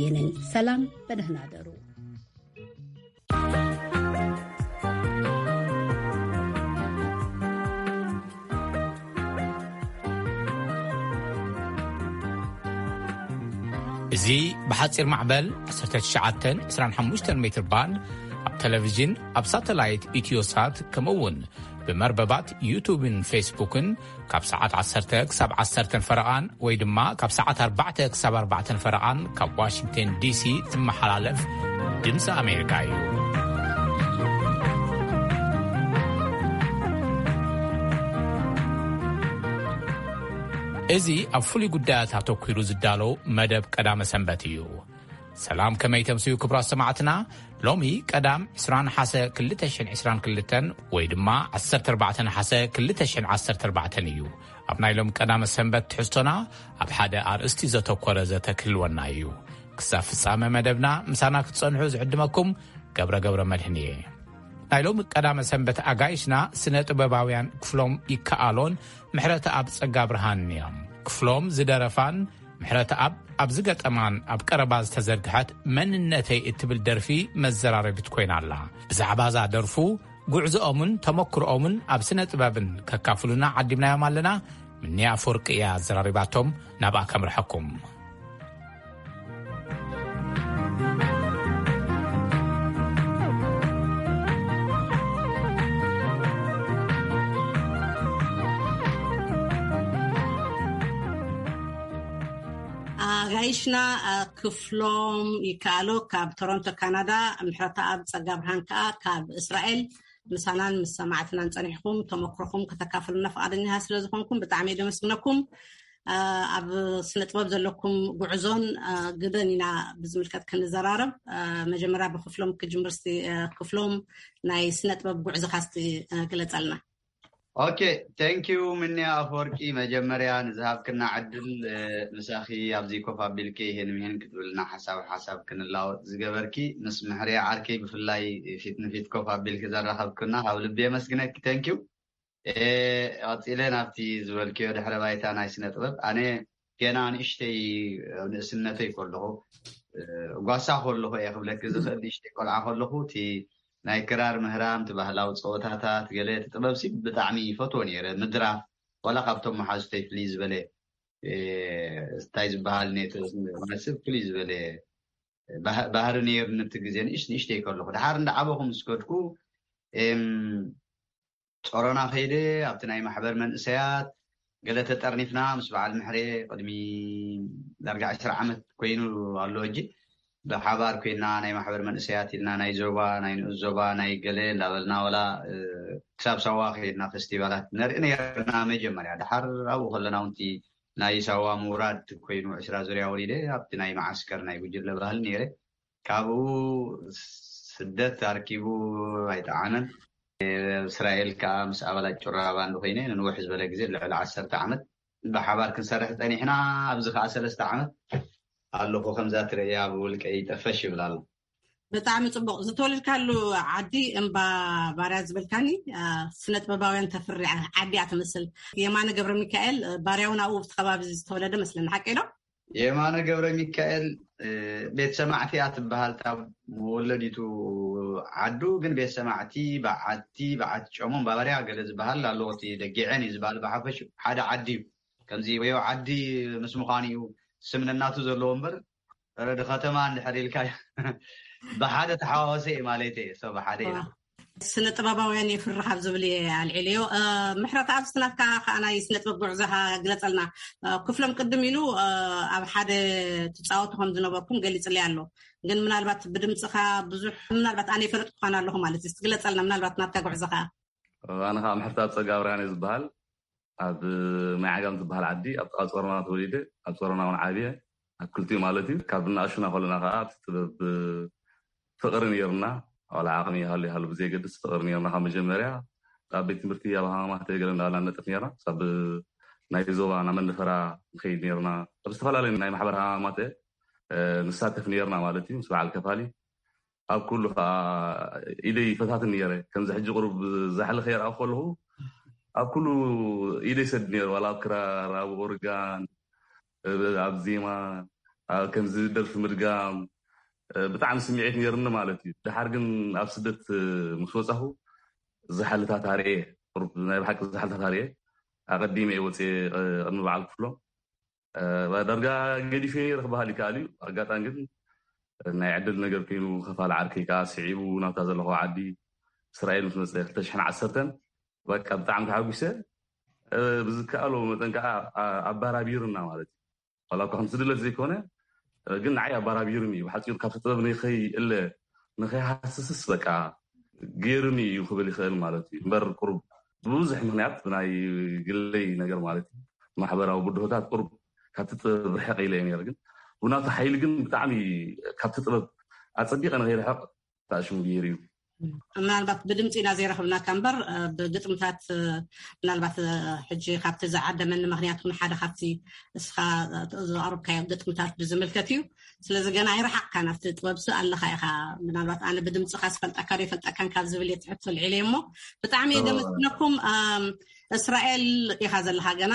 የነን ሰላም፣ በደህና ደሩ። እዚ ብሓጺር ማዕበል ዓሰርተ ትሽዓተ ዕስራን ሓሙሽተን ሜትር ባንድ ኣብ ቴሌቪዥን፣ ኣብ ሳተላይት ኢትዮሳት፣ ከምኡ እውን ብመርበባት ዩቱብን ፌስቡክን ካብ ሰዓት ዓሰርተ ክሳብ ዓሰርተ ፈረቓን ወይ ድማ ካብ ሰዓት ኣርባዕተ ክሳብ ኣርባዕተ ፈረቓን ካብ ዋሽንግተን ዲሲ ዝመሓላለፍ ድምፂ ኣሜሪካ እዩ። እዚ ኣብ ፍሉይ ጉዳያት ኣተኲሩ ዝዳሎ መደብ ቀዳመ ሰንበት እዩ። ሰላም፣ ከመይ ተምስዩ ክቡራት ሰማዕትና? ሎሚ ቀዳም ዕስራ ነሓሰ ክልተ ሽሕን ዕስራን ክልተን ወይ ድማ ዓሰርተ ኣርባዕተ ነሓሰ ክልተ ሽሕን ዓሰርተ ኣርባዕተን እዩ። ኣብ ናይ ሎም ቀዳመ ሰንበት ትሕዝቶና ኣብ ሓደ ኣርእስቲ ዘተኮረ ዘተ ክህልወና እዩ። ክሳብ ፍጻመ መደብና ምሳና ክትጸንሑ ዝዕድመኩም ገብረ ገብረ መድህን እየ። ናይ ሎም ቀዳመ ሰንበት ኣጋይሽና ስነ ጥበባውያን ክፍሎም ይከኣሎን ምሕረተ ኣብ ጸጋ ብርሃንን እዮም። ክፍሎም ዝደረፋን ምሕረተ ኣብ ኣብ ዝገጠማን ኣብ ቀረባ ዝተዘርግሐት መንነተይ እትብል ደርፊ መዘራረቢት ኮይና ኣላ። ብዛዕባ እዛ ደርፉ፣ ጉዕዞኦምን ተመክሮኦምን ኣብ ስነ ጥበብን ከካፍሉና ዓዲምናዮም ኣለና። ምንያ ኣፈወርቂ እያ ኣዘራሪባቶም። ናብኣ ከምርሐኩም። ኣጋይሽና ክፍሎም ይከኣሉ ካብ ቶሮንቶ ካናዳ፣ ምሕረተኣብ ጸጋብርሃን ከኣ ካብ እስራኤል ምሳናን ምስ ሰማዕትናን ጸኒሕኩም ተመክሮኹም ከተካፍሉና ፍቓደኛታት ስለ ዝኾንኩም ብጣዕሚ እየ ደመስግነኩም። ኣብ ስነ ጥበብ ዘለኩም ጉዕዞን ግደን ኢና ብዝምልከት ክንዘራረብ። መጀመርያ ብክፍሎም ክጅምር እስቲ። ክፍሎም፣ ናይ ስነ ጥበብ ጉዕዞኻ እስቲ ግለጸልና። ኦኬ፣ ቴንኪዩ ምንያ ኣፈወርቂ፣ መጀመርያ ንዝሃብክና ዕድል፣ ምሳኺ ኣብዚ ኮፍ ኣቢልኪ ይሄን ምሄን ክትብልና ሓሳብ ሓሳብ ክንላወጥ ዝገበርኪ፣ ምስ ምሕርያ ዓርከይ ብፍላይ ፊት ንፊት ኮፍ ኣቢልኪ ዘራኸብክና ካብ ልቢ የመስግነኪ። ቴንኪዩ። ቀፂለ ናብቲ ዝበልክዮ ድሕረ ባይታ ናይ ስነ ጥበብ፣ ኣነ ገና ንእሽተይ፣ ኣብ ንእስነተይ ከለኹ፣ ጓሳ ከለኹ እየ ክብለኪ ዝኽእል። ንእሽተይ ቆልዓ ከለኹ እቲ ናይ ክራር ምህራም፣ እቲ ባህላዊ ፀወታታት፣ ገለ እቲ ጥበብ ሲ ብጣዕሚ ይፈትዎ ነይረ። ምድራፍ፣ ዋላ ካብቶም መሓዙተይ ፍልይ ዝበለ፣ እንታይ ዝበሃል ነቲ ማለትሲ ፍልይ ዝበለ ባህሪ ነይሩ። ነቲ ግዜ ንእሽ ንእሽተይ ከለኹ፣ ድሓር እንዳዓበኹ ምስ ከድኩ፣ ጾሮና ከይደ ኣብቲ ናይ ማሕበር መንእሰያት ገለ ተጠርኒፍና ምስ በዓል ምሕሬ ቅድሚ ዳርጋ ዕስራ ዓመት ኮይኑ ኣሎ። ሕጂ ብሓባር ኮይና ናይ ማሕበር መንእሰያት ኢልና ናይ ዞባ፣ ናይ ንኡስ ዞባ፣ ናይ ገለ እንዳበልና፣ ወላ ክሳብ ሳዋ ከይድና ፈስቲቫላት ነርኢ ነርና። መጀመርያ ድሓር ኣብኡ ከለና ውንቲ ናይ ሳዋ ምውራድ ኮይኑ ዕስራ ዙርያ ወሪደ ኣብቲ ናይ መዓስከር ናይ ጉጅለ ባህል ነይረ። ካብኡ ስደት ኣርኪቡ ኣይጠዓመን። እስራኤል ከዓ ምስ ኣባላት ጭራ ባንድ ኮይነ ንንውሕ ዝበለ ግዜ ልዕሊ ዓሰርተ ዓመት ብሓባር ክንሰርሕ ጸኒሕና። ኣብዚ ከዓ ሰለስተ ዓመት ኣለኹ። ከምዛ ትርእያ ብውልቀይ ጠፈሽ ይብል ኣሎ። ብጣዕሚ ጽቡቕ። ዝተወለድካሉ ዓዲ እምባ ባርያ ዝበልካኒ፣ ስነ ጥበባውያን ተፍሪ ዓዲ እያ ትመስል። የማነ ገብረ ሚካኤል ባርያውን ኣብኡ ኣብቲ ከባቢ ዝተወለደ መስለኒ፣ ሓቀይ ዶ? የማነ ገብረ ሚካኤል ቤት ሰማዕቲ እያ ትበሃል። እታ መወለዲቱ ዓዱ ግን ቤት ሰማዕቲ በዓቲ፣ በዓቲ ጨሞን ባባርያ ገለ ዝበሃል ኣለዎ። እቲ ደጊዐን እዩ ዝበሃል። ብሓፈሽ ሓደ ዓዲ እዩ። ከምዚ ወዮ ዓዲ ምስ ምዃኑ እዩ ስም ነናቱ ዘለዎ እምበር፣ ረዲ ከተማ እንድሕር ኢልካ ብሓደ ተሓዋወሰ እዩ ማለት እዩ። ሶ ብሓደ ኢና። ስነ ጥበባውያን የፍርሕ ኣብ ዝብል እየ ኣልዒለዮ። ምሕረት፣ ኣብዚ ናትካ ከዓ ናይ ስነ ጥበብ ጉዕዞኻ ግለጸልና። ክፍሎም ቅድም ኢሉ ኣብ ሓደ ትጻወቱ ከም ዝነበርኩም ገሊጽለይ ኣሎ። ግን ምናልባት ብድምፅኻ ብዙሕ፣ ምናልባት ኣነ ይፈለጥኩኻን ኣለኹ ማለት እዩ። ግለጸልና ምናልባት ናትካ ጉዕዞኻ። ኣነ ከዓ ምሕረት ኣብ ጸጋ ኣብርሃን እየ ዝበሃል። ኣብ ማይ ዓጋም ዝበሃል ዓዲ ኣብ ጥቓ ጾሮና ተወሊደ፣ ኣብ ጾሮና እውን ዓብየ። ኣብ ክልቲኡ ማለት እዩ። ካብ እናእሹና ከለና ከዓ ኣብቲ ጥበብ ፍቕሪ ነይርና። ዋላ ዓቕሚ ይሃሉ ይሃሉ ብዘየገድስ ፍቕሪ ነይርና። ካብ መጀመርያ ኣብ ቤት ትምህርቲ ኣብ ሃማማተ ገለ እንዳበልና ንነጥፍ ነይርና። ክሳብ ናይ ዞባ ናብ መንደፈራ ንኸይድ ነይርና። ኣብ ዝተፈላለዩ ናይ ማሕበር ሃማማተ ንሳተፍ ነይርና ማለት እዩ። ምስ በዓል ከፋሊ ኣብ ኩሉ ከዓ ኢደይ ይፈታትን ነይረ። ከምዚ ሕጂ ቁሩብ ዛሕሊ ከየርኣኹ ከለኹ ኣብ ኩሉ ኢደይ ሰድ ነይረ። ዋላ ኣብ ክራር፣ ኣብ ኦርጋን፣ ኣብ ዜማ፣ ከምዚ ደርፊ ምድጋም ብጣዕሚ ስምዒት ነይርኒ ማለት እዩ። ድሓር ግን ኣብ ስደት ምስ ወፃኹ ዝሓልታት ኣርኤ ናይ ብሓቂ ዝሓልታት ኣርኤ ኣቐዲመ እየ ወፅየ። ቅድሚ በዓል ክፍሎም ዳርጋ ገዲፈ ነይረ ክበሃል ይከኣል እዩ። ኣጋጣሚ ግን ናይ ዕድል ነገር ኮይኑ ከፋል ዓርከይ ከዓ ስዒቡ ናብታ ዘለኹ ዓዲ እስራኤል ምስ መፀ ክልተ ሽሕን ዓሰርተን በቃ ብጣዕሚ ተሓጒሰ። ብዝከኣሎ መጠን ከዓ ኣባራቢሩና ማለት እዩ። ዋላ እኳ ከምቲ ድለት ዘይኮነ ግን ንዓይ ኣባራቢሩኒ እዩ። ብሓፂሩ ካብቲ ጥበብ ንኸይእለ ንኸይሃስስስ በቃ ገይሩኒ እዩ ክብል ይኽእል ማለት እዩ። እምበር ቁሩብ ብብዙሕ ምኽንያት ብናይ ግለይ ነገር ማለት እዩ ማሕበራዊ ብድሆታት ቁሩብ ካብቲ ጥበብ ርሕቕ ኢለ እየ ነይረ። ግን ብናቱ ሓይሊ ግን ብጣዕሚ ካብቲ ጥበብ ኣፀቢቐ ንኸይርሕቕ ተኣሽሙ ገይሩ እዩ። ምናልባት ብድምፂ ኢና ዘይረኽብናካ እምበር ብግጥምታት ምናልባት ሕጂ ካብቲ ዝዓደመኒ ምክንያት ን ሓደ ካብቲ እስኻ ዘቕርብካዮ ግጥምታት ብዝምልከት እዩ። ስለዚ ገና ኣይረሓቕካ ናብቲ ጥበብሲ ኣለካ ኢኻ። ምናልባት ኣነ ብድምፅኻ ዝፈልጠካ ዶ ይፈልጠካን ካብ ዝብል እየ ትሕቶ ልዒለ እሞ ብጣዕሚ እየ ደመስግነኩም። እስራኤል ኢኻ ዘለኻ ገና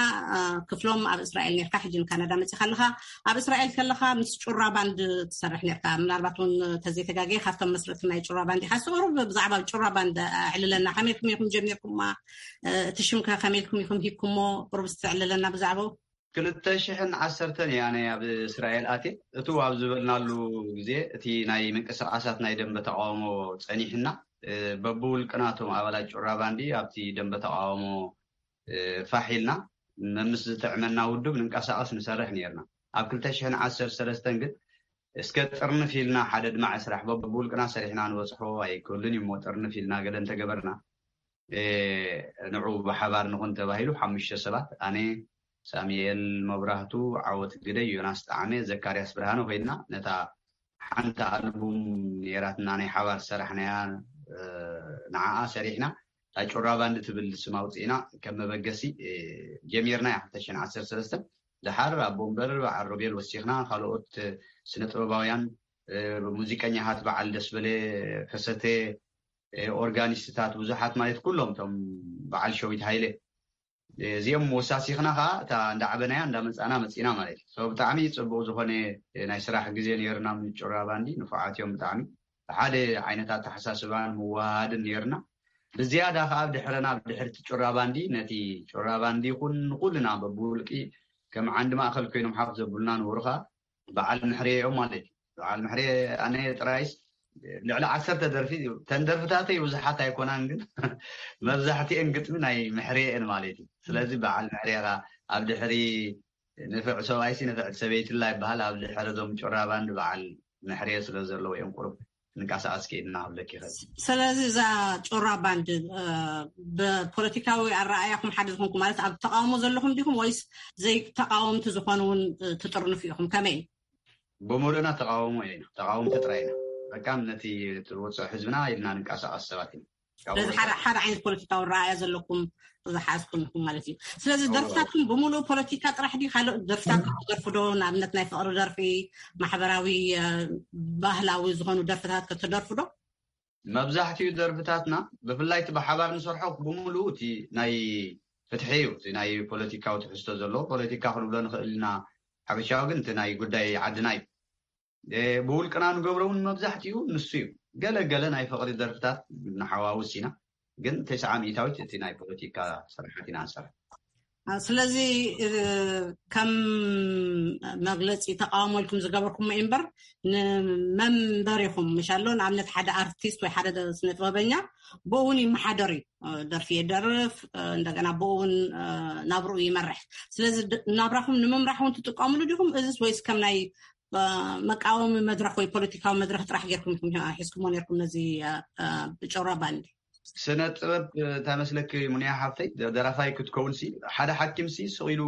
ክፍሎም ኣብ እስራኤል ነርካ ሕጂ ንካናዳ መፂኻ ኣለኻ። ኣብ እስራኤል ከለኻ ምስ ጩራ ባንድ ትሰርሕ ነርካ ምናልባት እውን ተዘይተጋገየ ካብቶም መስረቲ ናይ ጩራ ባንድ ኢኻ። ስሩ ብዛዕባ ጩራ ባንድ ኣዕልለና ከመይልኩም ኢኹም ጀሚርኩማ? እቲ ሽምከ ከመይልኩም ኢኹም ሂብኩሞ? ቁሩብ ዝተዕልለና ብዛዕባኡ። ክልተ ሽሕን ዓሰርተን እያ ኣነ ኣብ እስራኤል ኣትየ። እቱ ኣብ ዝበልናሉ ግዜ እቲ ናይ ምንቅስቃሳት ናይ ደንበ ተቃውሞ ጸኒሕና በብውልቅናቶም ኣባላት ጩራ ባንዲ ኣብቲ ደንበ ተቃውሞ ፋሕ ኢልና መምስ ዝጥዕመና ውድብ ንንቀሳቀስ ንሰርሕ ነርና። ኣብ ክልተ ሽሕን ዓሰርተ ሰለስተን ግን እስከ ጥርንፍ ኢልና ሓደ ድማዕ ስራሕ በብውልቅና ሰሪሕና ንበፅሖ ኣይክህሉን እዩ እሞ ጥርንፍ ኢልና ገለ እንተገበርና ንዑ ብሓባር ንኹን ተባሂሉ ሓሙሽተ ሰባት ኣነ ሳሙኤል መብራህቱ ዓወት ግደይ ዮናስ ጣዕመ ዘካርያስ ብርሃነ ኮይንና ነታ ሓንቲ ኣልቡም ነይራትና ናይ ሓባር ዝሰራሕናያ ንዓኣ ሰሪሕና እታ ጩራ ባንድ ትብል ስም ኣውፅእና ከም መበገሲ ጀሚርና ያ ክልተ ሽሕን ዓሰርተ ሰለስተን ድሓር ኣቦ እምበር በዓል ሮቤል ወሲኽና ካልኦት ስነ ጥበባውያን ሙዚቀኛታት በዓል ደስበለ ከሰተ ኦርጋኒስትታት ብዙሓት ማለት ኩሎም እቶም በዓል ሸዊት ሃይለ እዚኦም ወሳሲኽና ከዓ እታ እንዳዓበናያ እንዳመፃና መፂና ማለት እዩ። ብጣዕሚ ፅቡቅ ዝኾነ ናይ ስራሕ ግዜ ነይርና። ጭራ ባንዲ ንፉዓት እዮም ብጣዕሚ ብሓደ ዓይነት ኣተሓሳስባን ምወሃሃድን ነይርና። ብዝያዳ ከዓ ኣብ ድሕረና ኣብ ድሕርቲ ጭራ ባንዲ ነቲ ጭራ ባንዲ ይኹን ንኩልና በብውልቂ ከም ዓንዲ ማእከል ኮይኖም ሓፍ ዘብሉና ነበሩ ከዓ በዓል ምሕሬ እዮም ማለት እዩ። በዓል ምሕሬ ኣነ ጥራይስ ልዕሊ ዓሰርተ ደርፊ ተን ደርፍታተይ ብዙሓት ኣይኮናን ግን መብዛሕትኤን ግጥሚ ናይ ምሕሬ እየን ማለት እዩ። ስለዚ በዓል ምሕሬ ኻ ኣብ ድሕሪ ንፍዕ ሰብኣይሲ ንፍዕቲ ሰበይትላ ይበሃል ኣብ ድሕሪ ዞም ጭራ ባንድ በዓል ምሕሬ ስለ ዘለዉ እዮም ቁሩብ ንንቀሳቀስ ክኢልና ክብለኪ ይኽእል። ስለዚ እዛ ጩራ ባንድ ብፖለቲካዊ ኣረኣያኹም ሓደ ዝኾንኩም ማለት ኣብ ተቃውሞ ዘለኹም ዲኹም ወይስ ዘይተቃወምቲ ዝኾኑ እውን ትጥርንፉ ኢኹም ከመይ? ብምሉእና ተቃውሞ ኢና ተቃወምቲ ጥራይ ኢና። በቃ ነቲ ትወፅኦ ህዝብና ኢልና ንንቀሳቀስ ሰባት ኢና። ስለዚ ሓደ ዓይነት ፖለቲካዊ ረኣያ ዘለኩም ዝሓዝኩም ኢኹም ማለት እዩ። ስለዚ ደርፍታትኩም ብምሉእ ፖለቲካ ጥራሕ ድዩ ካልኦት ደርፍታት ትደርፉ ዶ? ንኣብነት ናይ ፍቅሪ ደርፊ፣ ማሕበራዊ ባህላዊ ዝኾኑ ደርፍታት ከ ትደርፉ ዶ? መብዛሕትኡ ደርፍታትና ብፍላይ እቲ ብሓባር ንሰርሖ ብምሉኡ እቲ ናይ ፍትሒ እዩ። እቲ ናይ ፖለቲካዊ ትሕዝቶ ዘለዎ ፖለቲካ ክንብሎ ንኽእል ኢና። ሓበሻዊ ግን እቲ ናይ ጉዳይ ዓድና እዩ። ብውልቅና ንገብሮ እውን መብዛሕትኡ ንሱ እዩ። ገለ ገለ ናይ ፍቅሪ ደርፍታት ንሓዋውስ ኢና። ግን ተስዓ ሚእታዊት እቲ ናይ ፖለቲካ ስራሓት ኢና ንሰርሕ። ስለዚ ከም መግለፂ ተቃውሞ ኢልኩም ዝገበርኩም እምበር ንመንበሪኹም ምሻሎ ንኣብነት ሓደ ኣርቲስት ወይ ሓደ ስነጥበበኛ ብኡ እውን ይመሓደር እዩ። ደርፊ የደርፍ እንደገና ብኡ እውን ናብርኡ ይመርሕ። ስለዚ ናብራኹም ንምምራሕ እውን ትጥቀምሉ ዲኹም እዚስ ወይስ ከም ናይ መቃወሚ መድረክ ወይ ፖለቲካዊ መድረክ ጥራሕ ጌርኩም ኢኹም ሒዝኩሞ ነርኩም ነዚ ጭራ ባንዲ? ስነ ጥበብ እንታይ መስለኪ ሙኒያ ሓፍተይ ደራፋይ ክትከውን ሲ ሓደ ሓኪም ሲ ስቕ ኢሉ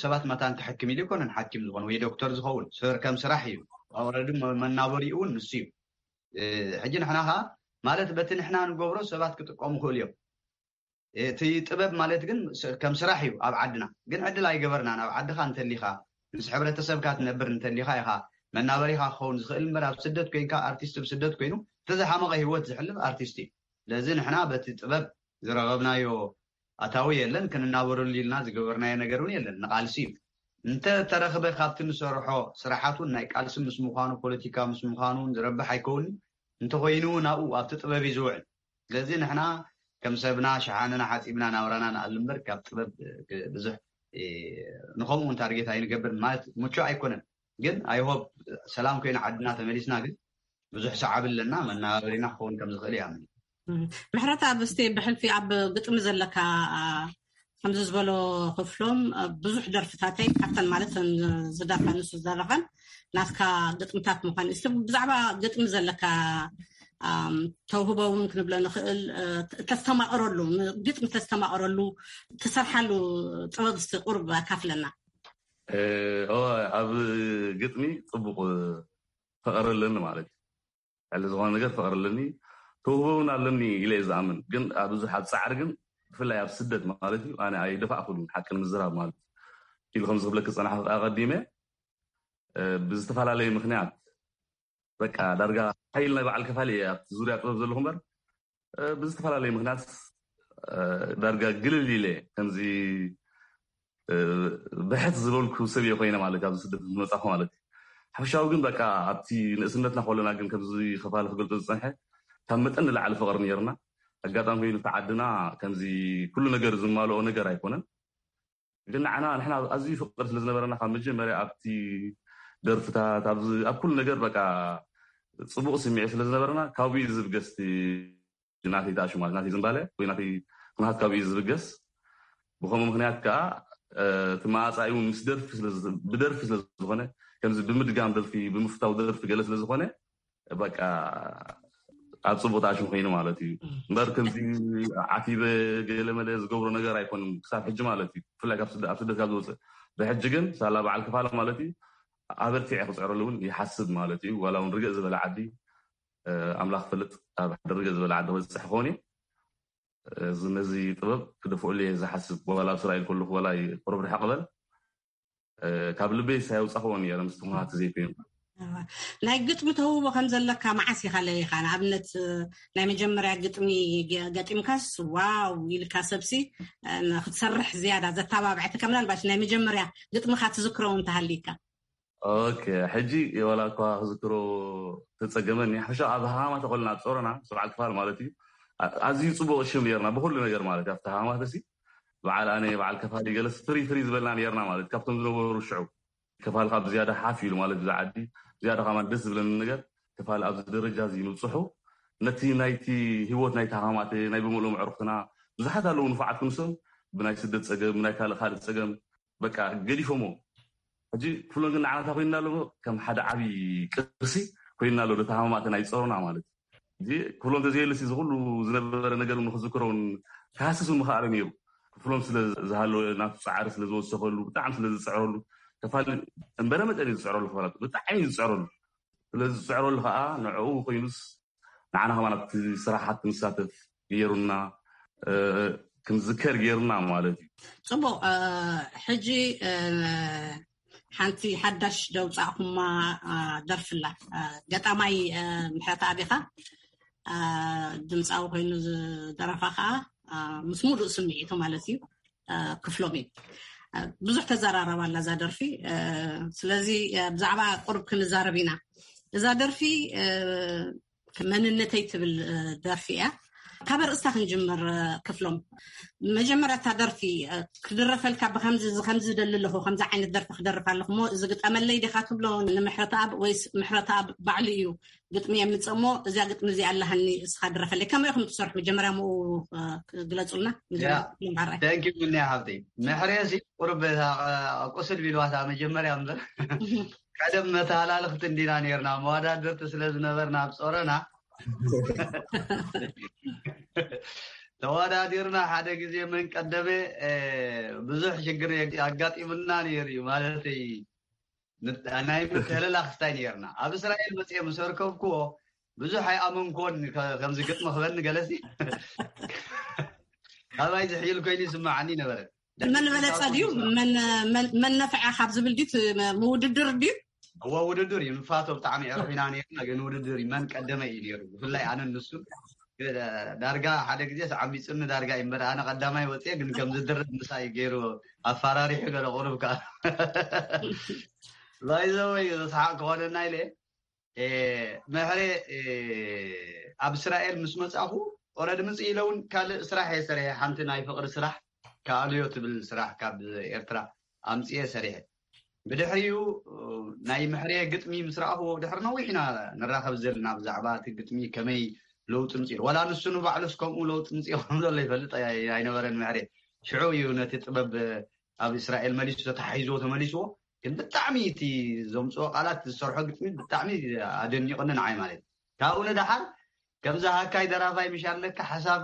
ሰባት መታን ክሕክም ኢሉ ይኮነን ሓኪም ዝኾን ወይ ዶክተር ዝኸውን ከም ስራሕ እዩ። ኣውረዲ መናበሪኡ እውን ንሱ እዩ። ሕጂ ንሕና ከዓ ማለት በቲ ንሕና ንገብሮ ሰባት ክጥቀሙ ክእሉ እዮም። እቲ ጥበብ ማለት ግን ከም ስራሕ እዩ ኣብ ዓድና ግን ዕድል ኣይገበርናን። ኣብ ዓድኻ እንተሊኻ ምስ ሕብረተሰብካ ትነብር እንተሊኻ ኢኻ መናበሪኻ ክኸውን ዝኽእል እምበር ኣብ ስደት ኮይንካ ኣርቲስት ብስደት ኮይኑ እቲ ዝሓመቐ ህይወት ዝሕልፍ ኣርቲስት እዩ። ስለዚ ንሕና በቲ ጥበብ ዝረኸብናዮ ኣታዊ የለን ክንናበረሉ ኢልና ዝገበርናዮ ነገር እውን የለን። ንቃልሲ እዩ። እንተ ተረኽበ ካብቲ ንሰርሖ ስራሓት እውን ናይ ቃልሲ ምስ ምዃኑ፣ ፖለቲካ ምስ ምዃኑ እውን ዝረብሕ ኣይከውንን። እንተኾይኑ እውን ኣብኡ ኣብቲ ጥበብ እዩ ዝውዕል። ስለዚ ንሕና ከም ሰብና ሸሓነና ሓፂብና ናብራና ንኣሉ እምበር ካብ ጥበብ ብዙሕ ንኸምኡ እውን ታርጌት ኣይንገብር ማለት ምቹእ ኣይኮነን። ግን ኣይሆብ ሰላም ኮይኑ ዓድና ተመሊስና ግን ብዙሕ ሰዓብ ኣለና፣ መናባበሪና ክኸውን ከም ዝኽእል ይኣምን። ምሕረት ኣብ እስቲ ብሕልፊ ኣብ ግጥሚ ዘለካ ከምዚ ዝበሎ ክፍሎም ብዙሕ ደርፍታተይ ካብተን ማለት ዝደርፋ ንሱ ዝደረፈን ናትካ ግጥምታት ምዃን ስ ብዛዕባ ግጥሚ ዘለካ ተውህቦ እውን ክንብሎ ንኽእል ተስተማቕረሉ ግጥሚ ተስተማቕረሉ ትሰርሓሉ ጥበብ ስ ቁርብ ኣካፍለና። ኣብ ግጥሚ ፅቡቕ ፍቕሪ ኣለኒ ማለት እዩ። ልዕሊ ዝኾነ ነገር ፍቕሪ ኣለኒ፣ ተውህቦ እውን ኣለኒ ኢለ እየ ዝኣምን። ግን ኣብ ብዙሕ ኣብ ፃዕሪ ግን ብፍላይ ኣብ ስደት ማለት እዩ ኣነ ኣይደፋእኩሉን ሓቂ ንምዝራብ ማለት እዩ። ኢሉ ከምዚ ክብለክ ዝፀናሕኩ ኣቐዲመ ብዝተፈላለየ ምክንያት በቃ ዳርጋ ሓይል ናይ በዓል ከፋሊ እየ ኣብቲ ዙርያ ጥበብ ዘለኹ እምበር ብዝተፈላለየ ምክንያት ዳርጋ ግልል ኢለ ከምዚ ብሕት ዝበልኩ ሰብ እየ ኮይነ ማለት ኣብዚ ስደት ዝመፃኹ ማለት እዩ። ሓፈሻዊ ግን በቃ ኣብቲ ንእስነትና ከለና ግን ከምዚ ከፋሊ ክገልፆ ዝፀንሐ ካብ መጠን ንላዕሊ ፍቕሪ ነይርና። ኣጋጣሚ ኮይኑ እቲ ዓድና ከምዚ ኩሉ ነገር ዝማልኦ ነገር ኣይኮነን። ግን ንዓና ንሕና ኣዝዩ ፍቕሪ ስለ ዝነበረና ካብ መጀመርያ ኣብቲ ደርፍታት ኣብ ኩሉ ነገር በቃ ፅቡቕ ስምዒት ስለ ዝነበረና ካብኡ እዩ ዝብገስ ናተይ ተኣሹ ማለት ናተይ ዝምባለ ወይ ናተይ ኩነታት ካብኡ እዩ ዝብገስ። ብከምኡ ምክንያት ከዓ እቲ መኣፃኢ እውን ምስ ደርፊ ብደርፊ ስለ ዝኾነ ከምዚ ብምድጋም ደርፊ ብምፍታው ደርፊ ገለ ስለ ዝኾነ በቃ ኣብ ፅቡቅ ተኣሽም ኮይኑ ማለት እዩ። እምበር ከምዚ ዓቲበ ገለ መለ ዝገብሮ ነገር ኣይኮንም ክሳብ ሕጂ ማለት እዩ። ብፍላይ ኣብ ስደት ካብ ዝወፅእ ብሕጂ ግን ሳላ በዓል ክፋለ ማለት እዩ ኣበርቲዐ ክፅዕረሉ እውን ይሓስብ ማለት እዩ። ዋላ እውን ርግእ ዝበለ ዓዲ ኣምላኽ ፈልጥ ኣብ ሓደ ርግእ ዝበለ ዓዲ ክበፅሕ ክኾን እዩ። እዚ ነዚ ጥበብ ክደፍኦሉ እየ ዝሓስብ። ዋላ ኣብ እስራኤል ከለኹ ዋላ ቁሩብ ርሕቕ በል ካብ ልበይ ሳየውፃኽዎ ነረ ምስ ትኹናት ዘይኮይኑ ናይ ግጥሚ ተውቦ ከም ዘለካ መዓስ ኢኻ ለይኻ ንኣብነት ናይ መጀመርያ ግጥሚ ገጢምካስ ዋው ኢልካ ሰብሲ ክትሰርሕ ዝያዳ ዘተባብዐትካ ምናልባሽ ናይ መጀመርያ ግጥምካ ትዝክሮ እውን ተሃሊካ ኦኬ ሕጂ ዋላ እኳ ክዝክሮ ተፀገመኒ ሓፈሻ ኣብ ሃማ ተኮልና ኣብ ፀሮና ሰብዓል ክፋል ማለት እዩ ኣዝዩ ፅቡቅ ሽም ነርና ብኩሉ ነገር ማለት ኣብቲ ሃማ ተሲ በዓል ኣነ በዓል ከፋሊ ገለስ ፍሪ ፍሪ ዝበልና ነርና ማለት ካብቶም ዝነበሩ ሽዑ ከፋል ካብ ዝያዳ ሓፍ ኢሉ ማለት ብዛ ዓዲ ዝያዳ ከማን ደስ ዝብለኒ ነገር ከፋል ኣብዚ ደረጃ እዚ ምብፅሑ ነቲ ናይቲ ህይወት ናይቲ ሃማተ ናይ ብምልኦም ዕርክትና ብዙሓት ኣለዉ ንፉዓት ክንሶም ብናይ ስደት ፀገም ብናይ ካልእ ካልእ ፀገም በቃ ገዲፎሞ ሕጂ ክፍሎም ግን ንዓናታ ኮይንና ኣለዎ ከም ሓደ ዓብዪ ቅርሲ ኮይንና ኣሎ ተሃማማተ ናይ ፀሮና ማለት እዚ ክፍሎም ተዘየልሲ ዝኩሉ ዝነበረ ነገር ንክዝክረውን ክሃስስ ምክኣለ ነይሩ ክፍሎም ስለ ዝሃለወ ናቱ ፃዕሪ ስለ ዝወሰኸሉ ብጣዕሚ ስለ ዝፅዕረሉ ተፋል እምበረ መጠን እዩ ዝፅዕረሉ ክፋላት ብጣዕሚ እዩ ዝፅዕረሉ ስለ ዝፅዕረሉ ከዓ ንዕኡ ኮይኑስ ንዓና ከማን ኣብቲ ስራሓት ክንሳተፍ ገይሩና ክንዝከር ገይሩና ማለት እዩ። ፅቡቅ ሕጂ ሓንቲ ሓዳሽ ደውፃእኩማ ደርፍላ ገጣማይ ምሕረት ኣቢኻ ድምፃዊ ኮይኑ ዝደረፋ ከዓ ምስ ሙሉእ ስምዒቱ ማለት እዩ ክፍሎም እዩ ብዙሕ ተዘራረባ ኣላ እዛ ደርፊ ስለዚ ብዛዕባ ቁርብ ክንዛረብ ኢና እዛ ደርፊ መንነተይ ትብል ደርፊ እያ ካብ ርእስታ ክንጅምር ክፍሎም መጀመርያ እታ ደርፊ ክድረፈልካ ብከምዚ ከምዚ ዝደሊ ኣለኹ ከምዚ ዓይነት ደርፊ ክደርፍ ኣለኹ ሞ እዚ ግጠመለይ ዲኻ ትብሎ ንምሕረተኣብ ወይስ ምሕረተኣብ ባዕሉ እዩ ግጥሚ የምፅእ ሞ እዚኣ ግጥሚ እዚኣ ኣለሃኒ እስኻ ድረፈለይ ከመይ ኢኹም ትሰርሑ መጀመርያ ምኡ ግለፁልና ቴንኪ ቡኒ ሓብተይ ምሕሬ ሲ ቁርብ ቁስል ቢልዋታ መጀመርያ እምበር ቀደም መተሃላልኽቲ እንዲና ነርና መዋዳድርቲ ስለ ዝነበርና ኣብ ፀረና ተዋዳዲርና ሓደ ግዜ መን ቀደመ ብዙሕ ሽግር ኣጋጢሙና ነይሩ እዩ ማለተይ ናይ ምትህልላኽ ስታይ ነርና ኣብ እስራኤል መፅአ ምስ ኣርከብክዎ ብዙሕ ኣይኣመንኮን ከምዚ ግጥሚ ክበኒ ገለሲ ካባይ ዝሕይል ኮይኑ ይስማዓኒ ነበረ መን በለፀ ድዩ መን ነፍዐ ካብ ዝብል ድዩ ምውድድር ድዩ እዋ ውድድር እዩ ንፋቶ ብጣዕሚ ዕርፍ ኢና ነርና ግን ውድድር እዩ መን ቀደመ እዩ ነሩ ብፍላይ ኣነ ንሱ ዳርጋ ሓደ ግዜ ዓሚፁኒ ዳርጋ እዩ እምበር፣ ኣነ ቀዳማይ ወፅየ፣ ግን ከም ዝድረብ ምሳይ ገይሩ ኣፈራሪሑ ገለ ቁሩብ ከዓ ባይዘወይ ስሓቅ ክኾነና ኢለ። ምሕሬ ኣብ እስራኤል ምስ መፃኹ ኦረድ ምፅ ኢለ እውን ካልእ ስራሕ እየ ሰሪሐ። ሓንቲ ናይ ፍቅሪ ስራሕ፣ ከኣልዮ ትብል ስራሕ ካብ ኤርትራ ኣምፅየ ሰሪሐ። ብድሕሪኡ ናይ ምሕሬ ግጥሚ ምስ ረኣኽዎ፣ ድሕሪ ነዊሕ ኢና ንራኸብ ዘለና፣ ብዛዕባ እቲ ግጥሚ ከመይ ለውጢ ምፅኡ፣ ዋላ ንሱ ንባዕሉስ ከምኡ ለውጢ ምፅኡ ከም ዘሎ ይፈልጥ ኣይነበረን። ምሕሬ ሽዑ እዩ ነቲ ጥበብ ኣብ እስራኤል መሊሱ ተታሒዝዎ ተመሊስዎ። ግን ብጣዕሚ እቲ ዘምፅኦ ቃላት፣ ዝሰርሖ ግጥሚ ብጣዕሚ ኣደኒቑኒ ንዓይ ማለት እዩ። ካብኡ ንደሓር ከምዚ ሃካይ ደራፋይ ምሽ ኣለካ ሓሳብ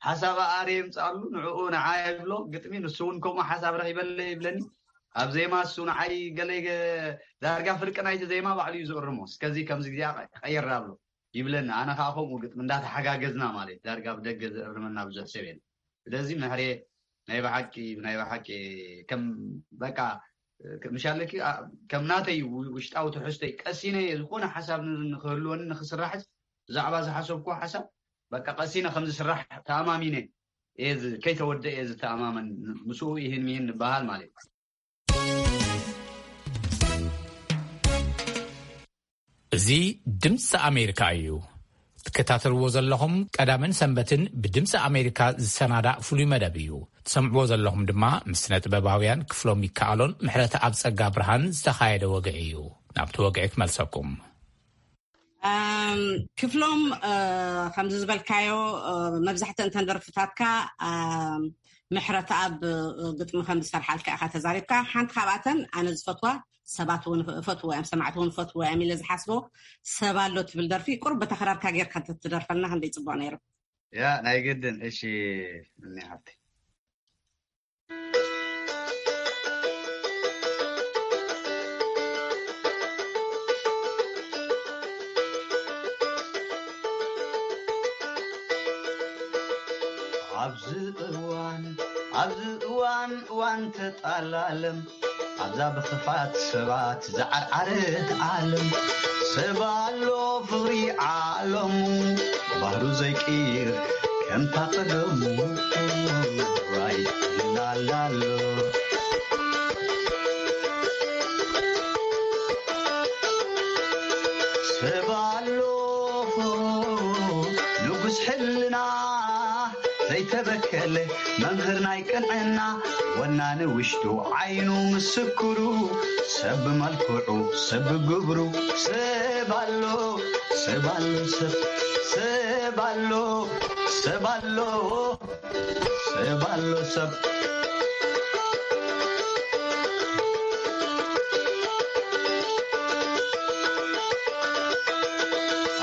ሓሳብ ኣረ የምፅኣሉ፣ ንዕኡ ንዓ ይብሎ ግጥሚ፣ ንሱ እውን ከምኡ ሓሳብ ረኺበለ ይብለኒ። ኣብ ዜማ እሱ ንዓይ ገለ ገ- ዳርጋ ፍርቂ ናይቲ ዜማ ባዕሉ እዩ ዝእርሞ። እስከዚ ከምዚ ግዜ ቀየር ኣብሎ ይብለኒ። ኣነ ከዓ ከምኡ ግጥሚ እንዳተሓጋገዝና ማለት ዳርጋ ብደገ ዝእርመና ብዙሕ ሰብ የለን። ስለዚ ምሕሬ ናይ ብሓቂ ናይ ብሓቂ ከም በቃ ምሻለኪ ከም ናተይ ውሽጣዊ ትሕዝቶይ ቀሲነ እየ ዝኾነ ሓሳብ ንክህልወኒ ንክስራሕስ ብዛዕባ ዝሓሰብኩ ሓሳብ በቃ ቀሲነ ከም ዝስራሕ ተኣማሚነ እየ ዝ- ከይተወደ እየ ዝተኣማመን። ምስኡ ይህን ሚህን ንበሃል ማለት እዩ። እዚ ድምፂ ኣሜሪካ እዩ። ትከታተልዎ ዘለኹም ቀዳምን ሰንበትን ብድምፂ ኣሜሪካ ዝሰናዳእ ፍሉይ መደብ እዩ። ትሰምዕዎ ዘለኹም ድማ ምስ ስነ ጥበባውያን ክፍሎም ይከኣሎን ምሕረት ኣብ ጸጋ ብርሃን ዝተኻየደ ወግዒ እዩ። ናብቲ ወግዒ ክመልሰኩም። ክፍሎም፣ ከምዚ ዝበልካዮ፣ መብዛሕትአን ተን ደርፍታትካ ምሕረት ኣብ ግጥሚ ከም ዝሰርሓልካ ኢኻ ተዛሪብካ። ሓንቲ ካብኣተን ኣነ ዝፈትዋ፣ ሰባት እውን እፈትዎ እዮም፣ ሰማዕቲ እውን እፈትዎ እዮም ኢለ ዝሓስቦ ሰብ ኣሎ ትብል ደርፊ ቁሩብ በታ ክራርካ ጌርካ እንተትደርፈልና ክንደይ ጽቡቕ ነይሩ። ያ ናይ ግድን። እሺ እኒ ሓብቲ ኣብዚ እዋን ኣብዚ እዋን እዋን ተጣላለም ኣብዛ ብኽፋት ሰባት ዝዓርዓረት ዓለም ሰብ ኣሎ ፍቕሪ ዓለሙ ባህሩ ዘይቅይር ከምታ ቀደሙ ራይ እናላሎ ሰብ ኣሎ ንጉስ ሕልና ዘይተበከለ መምህር ናይ ቅንዕና ወናኒ ውሽጡ ዓይኑ ምስክሩ ሰብ ብመልክዑ ሰብ ብግብሩ ሰብ ኣሎ ሰብ ኣሎ ሰብ ሰብ ኣሎ ሰብ ኣሎ ሰብ ኣሎ ሰብ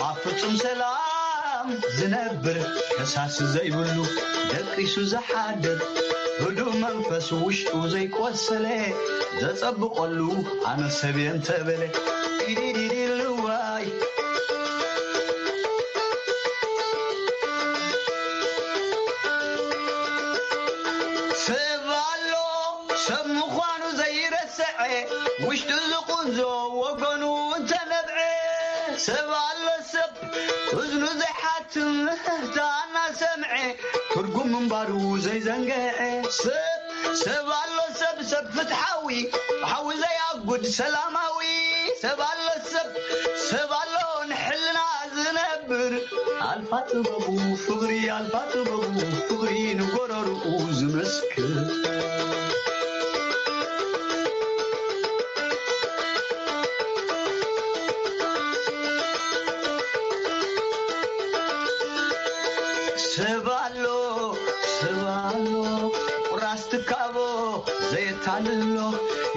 ኣብ ፍጹም ሰላም ዝነብር ከሳሲ ዘይብሉ ደቂሱ ዝሓድር ህዱእ መንፈስ ውሽጡ ዘይቆሰለ ዘጸብቐሉ ኣነ ሰብ እየ እንተበለ ኢዲዲዲልዋይ ሰብ ኣሎ ሰብ ምዃኑ ዘይረስዐ ውሽጡ ዝቑንዞ ወገኑ እንተነብዐ ሰብ ኣሎ ሰብ እዝኑ ዘይሓትም ህታ እናሰምዐ ትርጉም ምንባሩ ዘይዘንግዐ ሰብ ሰብ ኣሎ ሰብ ሰብ ፍትሓዊ ሓዊ ዘያጉድ ሰላማዊ ሰብ ኣሎ ሰብ ሰብ ኣሎ ንሕልና ዝነብር ኣልፋ ጥበቡ ፍቕሪ ኣልፋ ጥበቡ ፍቕሪ ንጎረርኡ ዝመስክር ሰብ ኣሎ ሰብ ኣሎ ቁራስ ትካቦ ዘየታልሎ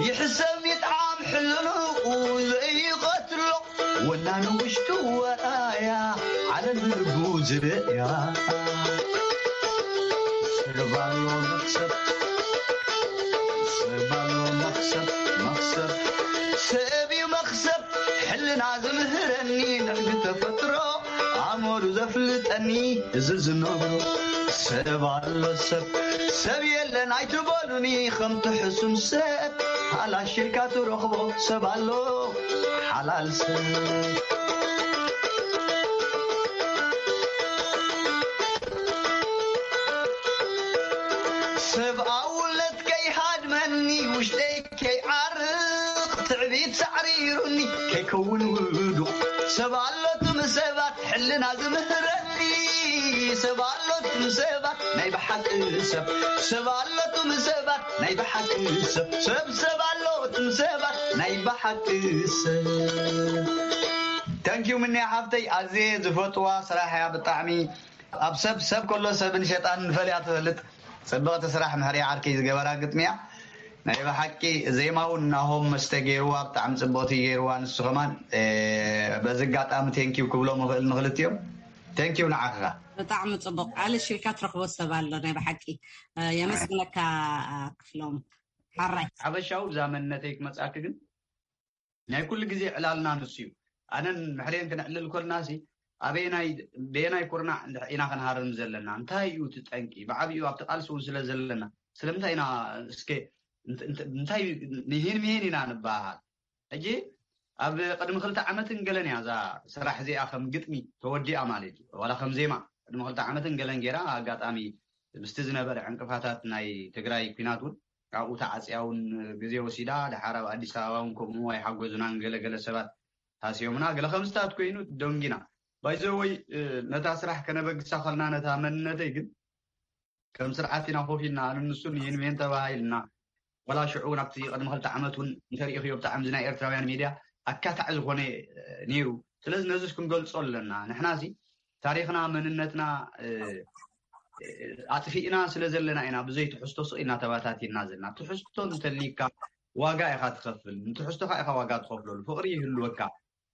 ይሕሰብ ይጥዓም ሕልንኡ ዘይቐትሎ ወናኒ ውሽጡ ወራያ ዓለም ብልቡ ዝርእያ ሰብ ኣሎ መኽሰብ ሰብ ኣሎ መኽሰብ መኽሰብ ሰብ እዩ መኽሰብ ሕልና ዝምህረኒ ንሕጊ ተፈጥሮ ኣእምሩ ዘፍልጠኒ እዚ ዝነብሮ ሰብ ኣሎ ሰብ ሰብ የለን ኣይትበሉኒ ከምቲ ሕሱም ሰብ ሓላሽ ኢልካ ትረኽቦ ሰብ ኣሎ ሓላል ሰብ ሓሪሩኒ ከይከውን ውዱቕ ሰብ ኣሎ ትም ሰባት ሕልና ዝምህረኒ ሰብ ኣሎ ትም ሰባት ናይ ብሓቂ ሰብ ሰብ ኣሎ ትም ሰባት ናይ ብሓቂ ሰብ ሰብ ሰብ ኣሎ ትም ሰባት ናይ ብሓቂ ሰብ Thank you ምንያ ሓፍተይ ኣዝየ ዝፈጥዋ ስራሕ እያ ብጣዕሚ ኣብ ሰብ ሰብ ከሎ ሰብን ሸጣን ፈሊያ ትፈልጥ ጽብቕቲ ስራሕ ምሕርያ ዓርከይ ዝገበራ ግጥሚ እያ ናይ ብሓቂ ዜማ እውን ናሆም መስተ ገይርዋ ብጣዕሚ ጽብቕቲ ገይርዋ ንሱ ከማን በዚ ኣጋጣሚ ቴንኪው ክብሎም እኽእል ንክልቲኦም ቴንኪው ንዓኻ ብጣዕሚ ጽቡቅ ኣልሽ ኢልካ ትረክቦ ሰብ ኣሎ ናይ ብሓቂ የመስግነካ ክፍሎም ሓራይ ሓበሻዊ ብዛ መንነተይ ክመጻኪ ግን ናይ ኩሉ ግዜ ዕላልና ንሱ እዩ ኣነን ምሕሬን ክነዕልል ኮልና ሲ ኣበየናይ በየናይ ኩርናዕ ኢና ክንሃርም ዘለና እንታይ እዩ እቲ ጠንቂ ብዓብኡ ኣብቲ ቃልሲ እውን ስለ ዘለና ስለምንታይ ኢና እስከ እንታይ ምሂን ምሂን ኢና ንበሃል ሕጂ ኣብ ቅድሚ ክልተ ዓመትን ገለን እያ እዛ ስራሕ እዚኣ ከም ግጥሚ ተወዲኣ ማለት እዩ ዋላ ከም ዜማ ቅድሚ ክልተ ዓመትን ገለን ገይራ ኣጋጣሚ ምስቲ ዝነበረ ዕንቅፋታት ናይ ትግራይ ኩናት እውን ኣብኡ ተዓፅያ እውን ግዜ ወሲዳ ድሓር ኣብ ኣዲስ ኣበባ እውን ከምኡ ኣይሓገዙናን ገለገለ ሰባት ሃስዮምና ገለ ከምዝታት ኮይኑ ደንጊና ባይዘወይ ነታ ስራሕ ከነበግሳ ከልና ነታ መንነተይ ግን ከም ስርዓት ኢና ኮፍ ኢልና ኣነ ንሱን ይህን ሜን ተባሃይልና ዋላ ሽዑ እውን ኣብቲ ቅድሚ ክልተ ዓመት እውን እንተሪእኽዮ ብጣዕሚ ናይ ኤርትራውያን ሚድያ ኣካታዕ ዝኾነ ነይሩ ስለዚ ነዚ ክንገልፆ ኣለና ንሕና ሲ ታሪኽና መንነትና ኣጥፊእና ስለ ዘለና ኢና ብዘይ ትሕዝቶ ስቕ ኢልና ተባታቲና ዘለና ትሕዝቶ እንተሊካ ዋጋ ኢኻ ትኸፍል ንትሕዝቶኻ ኢኻ ዋጋ ትኸፍለሉ ፍቕሪ ይህልወካ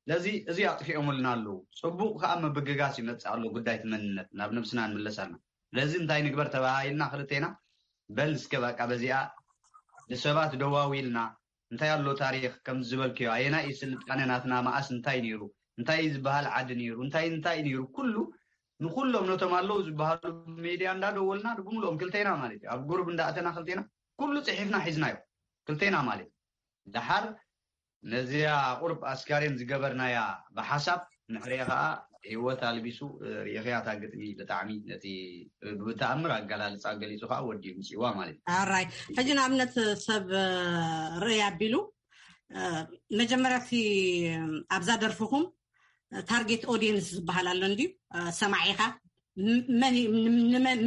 ስለዚ እዚ ኣጥፊኦምልና ኣለዉ ጽቡቕ ከዓ ምብግጋስ ይመጽእ ኣሎ ጉዳይ እቲ መንነት ናብ ነብስና ንምለስ ኣለና ስለዚ እንታይ ንግበር ተባሃሂልና ክልቴና በል እስከ በቃ በዚኣ ንሰባት ደዋዊልና እንታይ ኣሎ ታሪኽ ከም ዝበልክዮ ኣየናይ እዩ ስልጣነ ናትና መኣስ እንታይ ነይሩ እንታይ ዝበሃል ዓዲ ነይሩ እንታይ እንታይ ነይሩ ኩሉ ንኩሎም ነቶም ኣለዉ ዝበሃሉ ሜድያ እንዳደወልና ንብምልኦም ክልቴና ማለት እዩ ኣብ ጉሩብ እንዳእተና ክልቴና ኩሉ ፅሒፍና ሒዝናዮ ክልቴና ማለት እዩ ደሓር ነዚኣ ቁርብ ኣስካሬን ዝገበርናያ ብሓሳብ ንሕርየ ከዓ ህይወት ኣልቢሱ ርእኽያ እታ ግጥሚ ብጣዕሚ ነቲ ብተኣምር ኣገላልፃ ገሊፁ ከዓ ወዲኡ ምፅዋ ማለት እዩ ኣራይ ሕጂ ንኣብነት ሰብ ርእይ ኣቢሉ መጀመርያ እቲ ኣብዛ ደርፍኹም ታርጌት ኦዲየንስ ዝበሃል ኣሎ እንድዩ ሰማዒኻ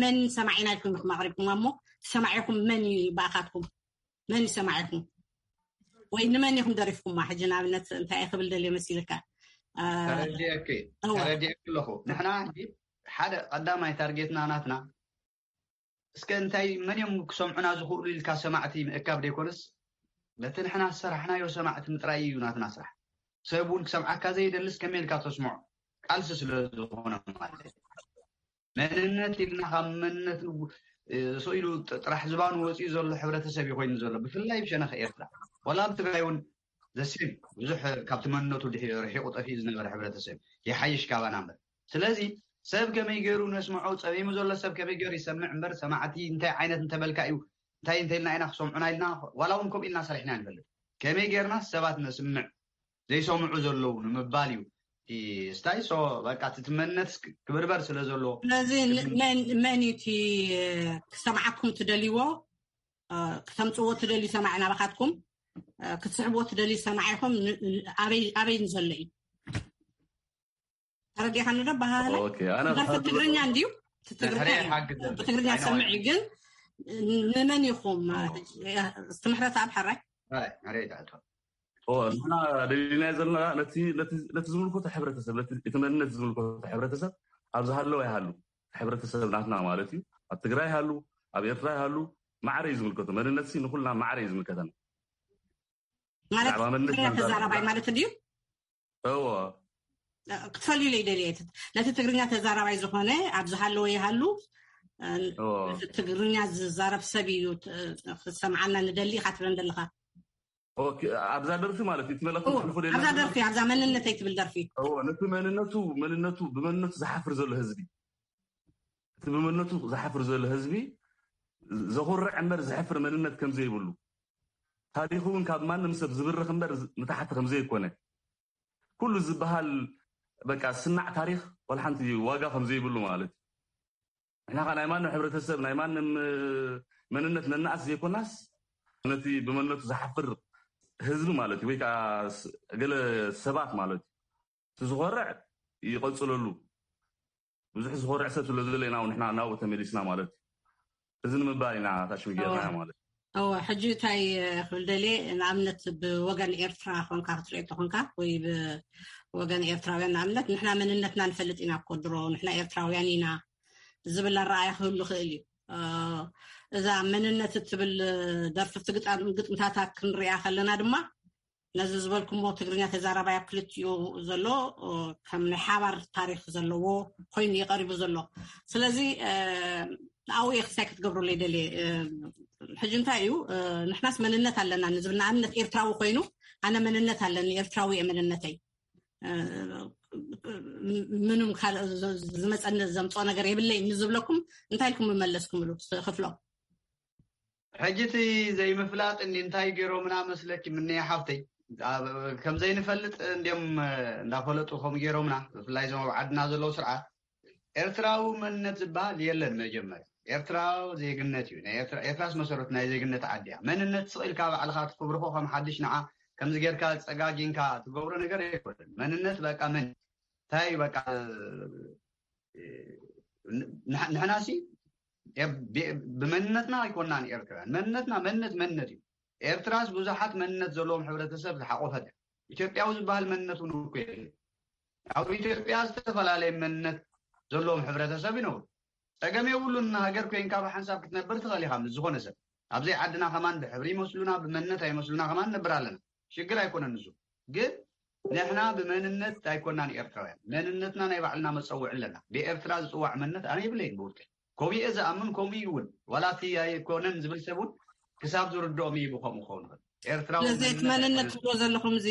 መን ሰማዒና ኢልኩም ኢኹም ኣቕሪብኩም እሞ ሰማዒኹም መን እዩ ብኣኻትኩም መን ይሰማዕኩም ወይ ንመን ኢኹም ደሪፍኩማ ሕጂ ንኣብነት እንታይ ክብል ደልዮ መሲልካ ተረዲአኪ ተረዲአኪ ኣለኹ ንሕና ሕጂ ሓደ ቀዳማይ ታርጌትና ናትና እስከ እንታይ መን እዮም ክሰምዑና ዝኽእሉ ኢልካ ሰማዕቲ ምእካብ ደይኮነስ ነቲ ንሕና ዝሰራሕናዮ ሰማዕቲ ምጥራይ እዩ ናትና ስራሕ ሰብ እውን ክሰምዓካ ዘይደልስ ከመይ ኢልካ ተስምዖ ቃልሲ ስለ ዝኾነ ማለት መንነት ኢልና ካብ መንነት ስኢሉ ጥራሕ ዝባኑ ወፂኡ ዘሎ ሕብረተሰብ እዩ ኮይኑ ዘሎ ብፍላይ ብሸነኽ ኤርትራ ዋላ ኣብ ትግራይ እውን ዘሴም ብዙሕ ካብቲ መንነቱ ርሒቁ ጠፊኡ ዝነበረ ሕብረተሰብ ይሓይሽ ካባና እምበር ስለዚ ሰብ ከመይ ገይሩ ነስምዖ ፀሚሙ ዘሎ ሰብ ከመይ ገይሩ ይሰምዕ እምበር ሰማዕቲ እንታይ ዓይነት እንተበልካ እዩ እንታይ እንተልና ኢና ክሰምዑና ኢልና ዋላ እውን ከምኡ ኢልና ሰሪሕና ንፈልጥ ከመይ ገይርና ሰባት ነስምዕ ዘይሰምዑ ዘለዉ ንምባል እዩ ስታይ ሶ በቃ እቲ መንነት ክብርበር ስለ ዘለዎ ስለዚ መን እዩ እቲ ክሰምዓኩም ትደልይዎ ክተምፅዎ ትደልዩ ሰማዒ ናባካትኩም ክትስሕብዎ ትደልዩ ሰማዒ ኢኹም ኣበይ ንዘሎ እዩ ተረዲኻኒ ዶ ኣበሃህላይ ኣነ ደርፊ ትግርኛ እንድዩ እቲ ትግርኛ እዩ። ብትግርኛ ዝሰምዕ እዩ ግን ንመን ኢኹም ትምህረት ኣብ ሕራይ ሕራይ ሕራይ ይትኣቶ ንሕና ደሊናዮ ዘለና ነቲ ነቲ ነቲ ዝምልከቶ ሕብረተሰብ ነቲ እቲ መንነት ዝምልከቶ ሕብረተሰብ ኣብ ዝሃለወ ይሃሉ እቲ ሕብረተሰብ ናትና ማለት እዩ ኣብ ትግራይ ይሃሉ ኣብ ኤርትራ ይሃሉ ማዕረ እዩ ዝምልከቶ መንነት ሲ ንኩልና ማዕረ እዩ ዝምልከተና ማለት ብዛዕባ መንነት ትግርኛ ኢና ተዛራባይ ንዛረብ። ማለት ድዩ እዎ ክትፈልዩለይ ደልየ ነቲ ትግርኛ ተዛራባይ ዝኾነ ኣብ ዝሃለወ ይሃሉ እዎ ትግርኛ ዝዛረብ ሰብ እዩ ክሰምዓና ንደሊ ኢኻ ትብለን ዘለኻ ኦኬ፣ ኣብዛ ደርፊ ማለት እዩ እቲ መልእኽቲ እዎ፣ ተሕልፎ ደላ ኣብዛ ደርፊ ኣብዛ መንነተይ ትብል ደርፊ እዎ፣ ነቲ መንነቱ መንነቱ ብመንነቱ ዝሓፍር ዘሎ ህዝቢ እቲ ብመንነቱ ዝሓፍር ዘሎ ህዝቢ ዘኹርዕ እምበር ዝሕፍር መንነት ከም ዘይብሉ ታሪኹ እውን ካብ ማንም ሰብ ዝብርኽ እምበር ንታሕቲ ከም ዘይኮነ ኩሉ ዝበሃል በቃ ስናዕ ታሪኽ ወላ ሓንቲ ዋጋ ከም ዘይብሉ ማለት እዩ። ንሕና ኸዓ ናይ ማንም ሕብረተሰብ ናይ ማንም መንነት ነናእስ ዘይኮናስ ነቲ ብመንነቱ ዝሓፍር ህዝቢ ማለት እዩ፣ ወይ ከዓ ስ- ገለ ሰባት ማለት እዩ። እቲ ዝኾርዕ ይቐፅለሉ። ብዙሕ ዝኾርዕ ሰብ ስለ ዘሎ ኢና ንሕና ናብኡ ተመሊስና ማለት እዩ። እዚ ንምባል ኢና ታሽሚ ጌርና ማለት እዩ። እወ፣ ሕጂ እንታይ ክብል ደልየ፣ ንኣብነት ብወገን ኤርትራ ኮንካ ክትሪኦ እንተኾንካ፣ ወይ ብወገን ኤርትራውያን፣ ንኣብነት ንሕና መንነትና ንፈልጥ ኢና እኮ ድሮ፣ ንሕና ኤርትራውያን ኢና ዝብል ኣረኣያ ክህሉ ይኽእል እዩ። እዛ መንነት እትብል ደርፊ፣ ግጥምታታ ክንሪኣ ከለና ድማ፣ ነዚ ዝበልኩሞ ትግርኛ ተዛራባይ ኣብ ክልቲኡ ዘሎ ከም ናይ ሓባር ታሪክ ዘለዎ ኮይኑ እዩ ቀሪቡ ዘሎ። ስለዚ ኣብኡ እየ ክሳይ ክትገብሩለይ ደልየ። ሕጂ እንታይ እዩ፣ ንሕናስ መንነት ኣለና ንዝብል፣ ንኣብነት ኤርትራዊ ኮይኑ፣ ኣነ መንነት ኣለኒ፣ ኤርትራዊ እየ መንነተይ። ምንም ካልእ ዝመፀኒ ዘምፅኦ ነገር የብለይ ንዝብለኩም እንታይ ኢልኩም መለስኩምሉ? ክፍሎም። ሕጂ እቲ ዘይምፍላጥ እንዲ እንታይ ገይሮምና መስለኪ? ምንያ ሓፍተይ፣ ከም ዘይንፈልጥ እንዲም እንዳፈለጡ ከም ገይሮምና፣ ብፍላይ እዞም ኣብ ዓድና ዘለዉ ስርዓት። ኤርትራዊ መንነት ዝበሃል የለን። መጀመርያ ኤርትራዊ ዜግነት እዩ። ኤርትራስ መሰረቱ ናይ ዜግነት ዓዲ እያ። መንነት ስቕ ኢልካ ባዕልካ ትፍብርኮ ከም ሓድሽ ንዓ ከምዚ ጌርካ ጸጋጊንካ ትገብሮ ነገር ኣይኮነን። መንነት በቃ መን እንታይ በቃ ንሕናሲ ብመንነትና ኣይኮናን ኤርትራውያን። መንነትና መንነት መንነት እዩ። ኤርትራስ ብዙሓት መንነት ዘለዎም ሕብረተሰብ ዝሓቆፈት እያ። ኢትዮጵያዊ ዝበሃል መንነት እውን እኮ የለ። ኣብ ኢትዮጵያ ዝተፈላለየ መንነት ዘለዎም ሕብረተሰብ ይነብሩ። ጸገም የብሉን። ሃገር ኮይንካ ብሓንሳብ ክትነብር ትኽእል ኢኻ ምስ ዝኾነ ሰብ። ኣብዘይ ዓድና ከማን ብሕብሪ ይመስሉና ብመንነት ኣይመስሉና ከማን ነብር ኣለና። ሽግር ኣይኮነን ንሱ። ግን ንሕና ብመንነት ኣይኮናን ኤርትራውያን። መንነትና ናይ ባዕልና መጸውዒ ኣለና። ብኤርትራ ዝጽዋዕ መንነት ኣነ ይብለይን ብውልቀይ። ከምኡ እየ ዝኣምን። ከምኡ እዩ እውን ዋላ እቲ ኣይኮነን ዝብል ሰብ እውን ክሳብ ዝርድኦም እዩ ብከምኡ ክኸውን ይኽእል። ኤርትራዊ ስለዚ እቲ መንነት መንነት ትብሎ ዘለኹም እዚ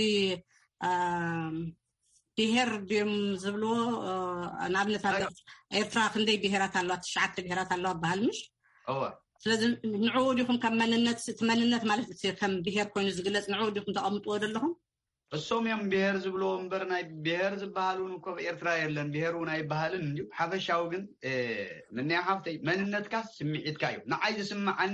ብሄር ድዮም ዝብልዎ? ንኣብነት ኣብ ኤርትራ ክንደይ ብሄራት ኣለዋ? ትሽዓተ ብሄራት ኣለዋ በሃል ምሽ? እወ። ስለዚ ንዕኡ ዲኹም ከም መንነት፣ እቲ መንነት ማለት እቲ ከም ብሄር ኮይኑ ዝግለጽ ንዕኡ ዲኹም ተቐምጥዎ ዘለኹም? እሶም እዮም ብሄር ዝብልዎ እምበር ናይ ብሄር ዝበሃል እውን እኮ ኣብ ኤርትራ የለን። ብሄር እውን ኣይበሃልን እዩ። ሓፈሻዊ ግን ምንያ ሓፍተይ መንነትካ ስምዒትካ እዩ። ንዓይ ዝስምዓኒ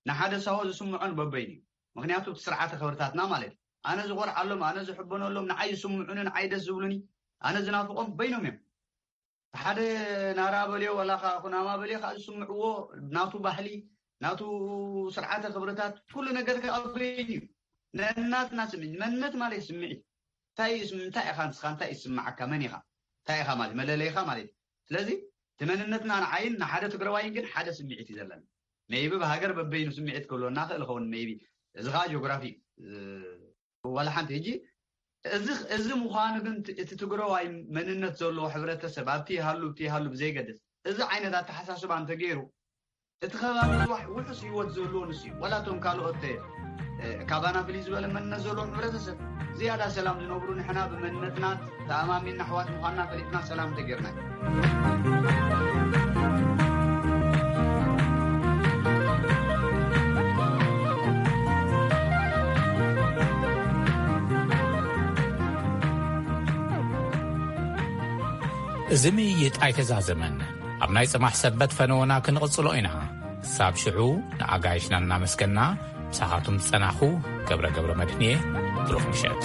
ንሓደ ሳሆ ዝስምዖን በበይኑ እዩ። ምክንያቱ እቲ ስርዓተ ክብርታትና ማለት እዩ። ኣነ ዝኾርዓሎም፣ ኣነ ዝሕበነሎም፣ ንዓይ ዝስምዑኒ፣ ንዓይ ደስ ዝብሉኒ፣ ኣነ ዝናፍቆም በይኖም እዮም። ሓደ ናራ በልዮ ዋላ ከዓ ኩናማ በልዮ ከዓ ዝስምዕዎ ናቱ ባህሊ፣ ናቱ ስርዓተ ክብርታት፣ ኩሉ ነገር ከዓ በይኑ እዩ። ነናትና ስምዒት፣ መንነት ማለት ስምዒት። እንታይ እዩ ስም-፣ እንታይ ኢኻ ንስኻ፣ እንታይ እዩ ዝስምዓካ፣ መን ኢኻ፣ እንታይ ኢኻ ማለት መለለይኻ ማለት እዩ። ስለዚ እቲ መንነትና ንዓይን ንሓደ ትግራዋይን ግን ሓደ ስምዒት እዩ ዘለና። ሜይቢ ብሃገር በበይኑ ስምዒት ክህልወና ክእል ኸውን ሜይቢ። እዚ ከዓ ጂኦግራፊ እዩ። ዋላ ሓንቲ። ሕጂ እዚ እዚ ምዃኑ ግን እቲ ትግራዋይ መንነት ዘለዎ ሕብረተሰብ ኣብቲ ይሃሉ ኣብቲ ይሃሉ ብዘይገድስ፣ እዚ ዓይነት ኣተሓሳስባ እንተገይሩ፣ እቲ ከባቢ ጽባሕ ውሑስ ህይወት ዘለዎ ንሱ እዩ። ዋላ እቶም ካልኦት ካባና ፍልይ ዝበለ መንነት ዘለዎም ሕብረተሰብ ዝያዳ ሰላም ዝነብሩ፣ ንሕና ብመንነትና ተኣማሚንና ኣሕዋት ምዃንና ፈሊጥና ሰላም እንተጌርና እዩ። እዚ ምይይጥ ኣይተዛዘመን። ኣብ ናይ ጽማሕ ሰበት ፈነወና ክንቕጽሎ ኢና። ክሳብ ሽዑ ንኣጋይሽና እናመስገና፣ ምሳኻትኩም ዝጸናኹ ገብረ ገብረ መድህን እየ። ብሩኽ ምሸት።